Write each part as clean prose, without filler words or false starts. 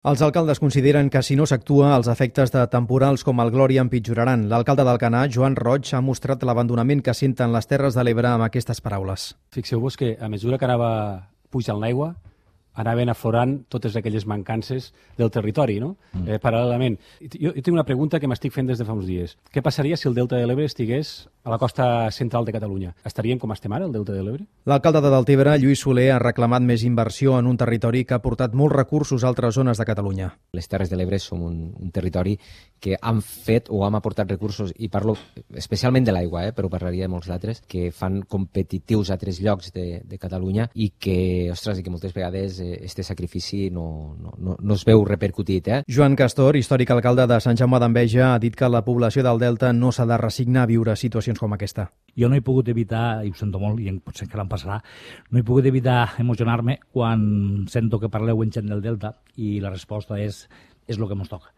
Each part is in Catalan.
Els alcaldes consideren que si no s'actua, els efectes de temporals com el Glòria empitjoraran. L'alcalde d'Alcanar, Joan Roig, ha mostrat l'abandonament que senten les Terres de l'Ebre amb aquestes paraules. Fixeu-vos que a mesura que anava pujant l'aigua, anaven aflorant totes aquelles mancances del territori, no? Paral·lelament. Jo tinc una pregunta que m'estic fent des de fa uns dies. Què passaria si el Delta de l'Ebre estigués a la costa central de Catalunya? Estaríem com estem ara, el Delta de l'Ebre? L'alcalde de Deltebre, Lluís Soler, ha reclamat més inversió en un territori que ha portat molts recursos a altres zones de Catalunya. Les Terres de l'Ebre som un territori que han fet o hem aportat recursos, i parlo especialment de l'aigua, però parlaria de molts d'altres, que fan competitius a altres llocs de Catalunya i que, ostres, i que moltes vegades este sacrifici no es veu repercutit. Joan Castor, històric alcalde de Sant Jaume d'Enveja, ha dit que la població del Delta no s'ha de resignar a viure situacions com aquesta. Jo no he pogut evitar, i ho sento molt, i potser encara em passarà, no he pogut evitar emocionar-me quan sento que parleu en gent del Delta i la resposta és el que ens toca.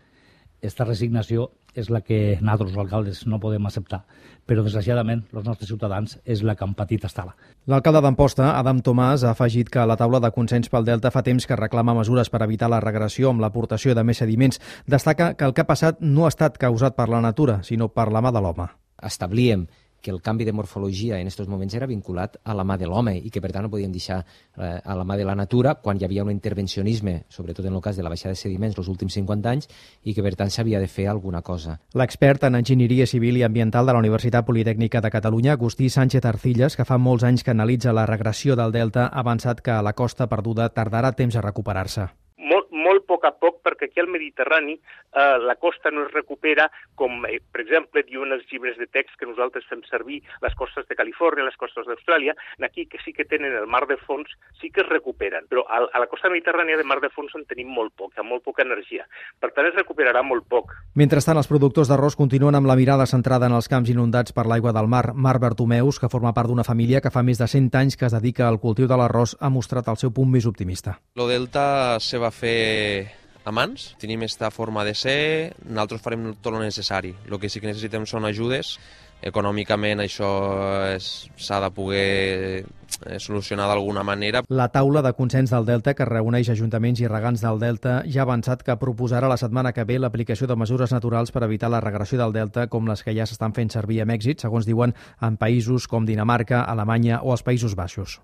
Esta resignació és la que nosaltres, els alcaldes, no podem acceptar, però desgraciadament els nostres ciutadans és la que han patit estar-la. L'alcalde d'Amposta, Adam Tomàs, ha afegit que la taula de consens pel Delta fa temps que reclama mesures per evitar la regressió amb l'aportació de més sediments. Destaca que el que ha passat no ha estat causat per la natura, sinó per la mà de l'home. Establíem que el canvi de morfologia en aquests moments era vinculat a la mà de l'home i que per tant no podíem deixar a la mà de la natura quan hi havia un intervencionisme, sobretot en el cas de la baixada de sediments els últims 50 anys, i que per tant s'havia de fer alguna cosa. L'expert en enginyeria civil i ambiental de la Universitat Politècnica de Catalunya, Agustí Sánchez Arcillas, que fa molts anys que analitza la regressió del Delta, ha avançat que la costa perduda tardarà temps a recuperar-se. Molt a poc, perquè aquí al Mediterrani la costa no es recupera com, per exemple, diuen els llibres de text que nosaltres fem servir, les costes de Califòrnia, les costes d'Austràlia, aquí que sí que tenen el mar de fons, sí que es recuperen, però a la costa mediterrània de mar de fons en tenim molt poc, amb molt poca energia. Per tant, es recuperarà molt poc. Mentrestant, els productors d'arròs continuen amb la mirada centrada en els camps inundats per l'aigua del mar. Marc Bertomeus, que forma part d'una família que fa més de 100 anys que es dedica al cultiu de l'arròs, ha mostrat el seu punt més optimista. Lo Delta se va fer a mans, tenim esta forma de ser, nosaltres farem tot el necessari. El que sí que necessitem són ajudes. Econòmicament això s'ha de poder solucionar d'alguna manera. La taula de consens del Delta, que reuneix ajuntaments i regants del Delta, ja ha avançat que proposarà la setmana que ve l'aplicació de mesures naturals per evitar la regressió del Delta, com les que ja s'estan fent servir amb èxit, segons diuen, en països com Dinamarca, Alemanya o els Països Baixos.